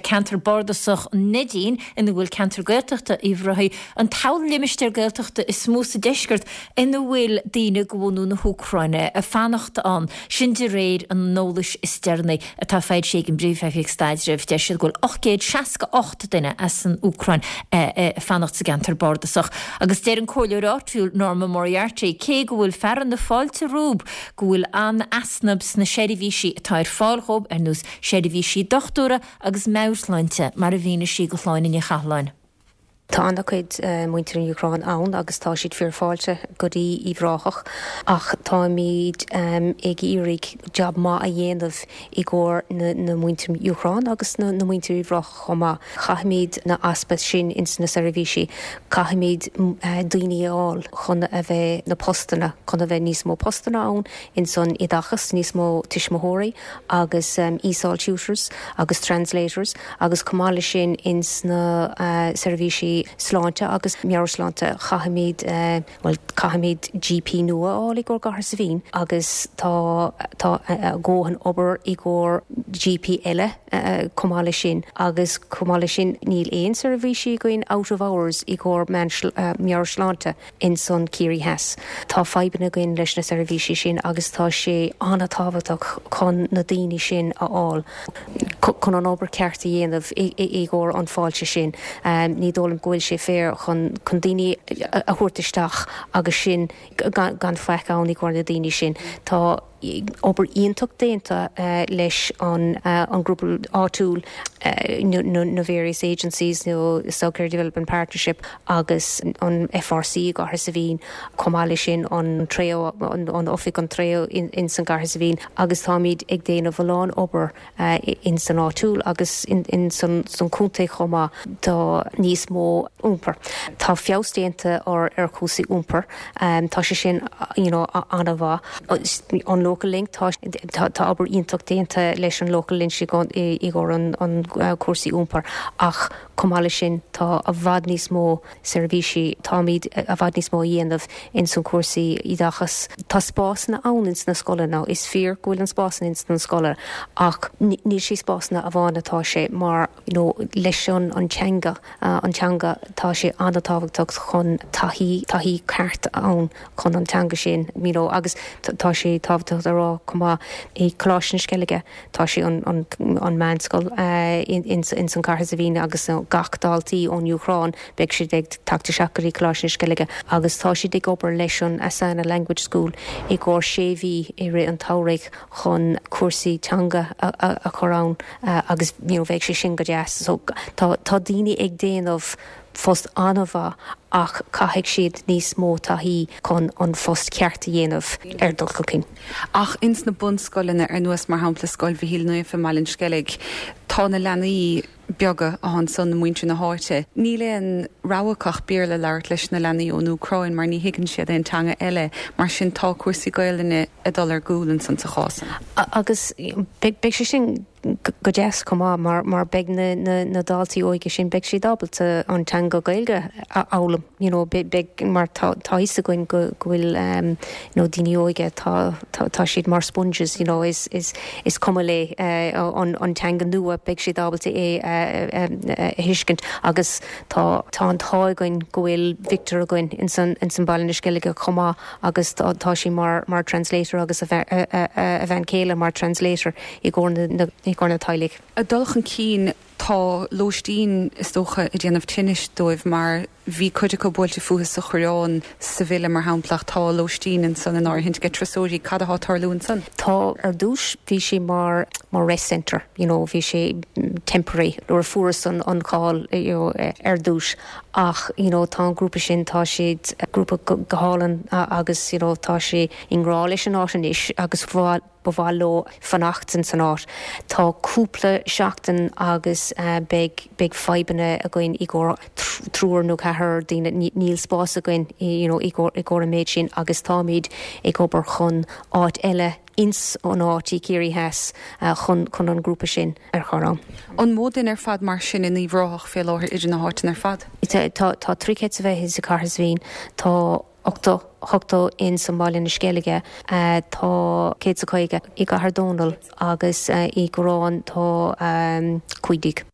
Ceantar Bardasach an Neidín, ina bhfuil ceantar Gaeltachta Uíbh Ráthaigh, an toghlimistéar Gaeltachta is mó sa deisceart ina bhfuil daoine de bhunadh na hÚcráine ag fanacht ann, sin de réir an eolais is deireanaí atá foilsithe ag an bPríomh-Oifig Staidrimh. Deir siad go bhfuil 868 duine as an Úcráin ag fanacht sa gceantar bardasach. Agus deir an comhairleoir áitiúil Norma Moriarty, cé go bhfuil fearadh na fáilte rompu, go bhfuil an-easnamh sna seirbhísí atá ar fáil dhóibh, ar nós seirbhísí dochtúra agus meabhairshláinte, mar a mhínigh sí do Shláine Ní Chathalláin. Tá an-chuid muintir an Úcráin ann agus tá siad fíor fáilte go dtí Uíbh Ráthach ach táimid ag iarraidh jab maith a dhéanamh i gcomhair na muintir Úcráin agus na muintir Uíbh Ráthach chomh maith. Caithfimid na easpa sin ins na seirbhísí, caithfimid daoine a fháil chun a bheith na postanna, chun a bheith níos mó postanna ann ins an oideachas, níos mó tuismitheoirí agus ESOL tutors agus translators agus chomh maith leis sin ins na seirbhísí sláinte agus meabhairshláinte caithfimid, bhuel caithfimid GP nua a fháil i gcomhair gCathair Saidhbhín agus tá tá a dhóthain obair i gcomhair GP eile chomh maith leis sin agus chomh maith leis sin níl aon seirbhísí againn out of hours i gcomhair meabhairshláinte. ins an Ciarraí Theas. Tá fadhbanna againn leis na seirbhísí sin agus tá sé an-tábhachtach chun na daoine sin a fháil chun an obair ceart a dhéanamh i gcomhair an fáilte sin. Ní dóigh liom go bhfuil sé fair chun chun daoine a thabhairt isteach agus sin gan faic ann i gcomhair na daoine sin. Tá. obair iontach déanta leis an ngrúpa áitiúil, na various agencies nó South Kerry Development Partnership agus an FRC i gCathair Saidhbhín, chomh maith leis sin an Treo, an Oifig an Treo ins an gCathair Saidhbhín agus táimid ag déanamh a lán obair in san áitiúil agus in san contae chomh maith. Tá níos mó iompair. Tá feabhas déanta ar ar chúrsaí iompair. Tá sé sin you know an-mhaith. An Local Link, tá tá obair iontach déanta leis an Local Link i gcomhair an an cúrsaí iompair ach chomh maith leis sin tá i bhfad níos mó seirbhísí, táimid i bhfad níos mó a dhéanamh ins an cúrsaí oideachas. Tá spásanna ann ins na scoileanna, is fíor go bhfuil an spásanna ins na scoileanna ach níl sé spásanna amháin atá sé mar you know leis an an teanga, an teanga tá sé an-tábhachtach chun taithí, taithí ceart ann chun an teanga sin you know agus tá sé tábhachtach a rá chomh maith i Coláiste na Sceilge, Tá sé an an meánscoil ins an Cathair Saidhbhín agus gach daltaí ón Úcráin beidh siad ag teacht isteach go dtí Coláiste na Sceilge agus tá siad ag obair leis an Asana Language School i gcomhair sé mhí i rith an tsamhraidh chun cúrsaí teanga a chur ann agus you know bheidh sé sin go deas. So tá tá daoine ag déanamh post an-mhaith ach caithfidh siad níos mó taithí chun an phost ceart a dhéanamh ar dul chun cinn. Ach ins na bunscoileanna, ar nós mar shampla Scoil Mhichíl Naofa i mBaile an Sceilg, tá na leanaí beaga atá ansan, muintir na háite, níl aon rogha acu ach Béarla a labhairt leis na leanaí ón Úcráin mar ní thuigeann siad aon teanga eile. Mar sin tá cúrsaí Gaelainne ag dul ar gcúl ansan sa chás san. Agus beidh sé sin go deas chomh maith mar mar beidh na na na daltaí óige sin beidh siad ábalta an teanga Gaeilge a fhoghlaim you know beidh mar tá tá fhios againn go go bhfuil um you know daoine óige tá tá tá siad mar sponges you know is is is cuma le uh, an an teanga nua beidh siad ábalta é a a a thuiscint agus tá tá an t-ádh againn go bhfuil Victor againn ins an ins an Baile na Sceilge chomh maith agus tá tá sé mar mar translator agus a a a bhean chéile mar translator i gcomhair na i gcomhair na teaghlaigh. Ag dul chun cinn, tá lóistín, is dócha, ag déanamh tinnis dóibh mar bhí cuid acu buailte fúthu sa Choireán, sa Bhile mar shampla, ach tá lóistín ansan in áirithint ag turasóirí. Cad atá ag tarlú ansan? Tá, ar dtús bhí sé mar mar rest centre, you know, bhí sé temporary nuair a fuarthas an an call, you know, ar dtús ach, you know, tá an grúpa sin, tá siad grúpa go go hálainn agus, you know, tá sé i ngrá leis an áit anois agus ba mhaith leo fanacht ins an áit. Tá cúpla seachtain agus beidh beidh fadhbanna againn i gcomhair triúr nó ceathrar daoine, níl spás againn you know i gcomhair i gcomhair an méid sin agus táimid ag obair chun áit eile ins an áit i Ciarraí Theas chun chun an grúpa sin a chur ann. An mó duine ar fad mar sin in Uíbh Ráthach fé láthair idir na háiteanna ar fad? Tá tá 300 is a bheith sa Chathair Saidhbhín, tá 80, 80 ins an Baile na Sceilge, tá 150 i gCathair Dónall agus i gCoireán tá 15.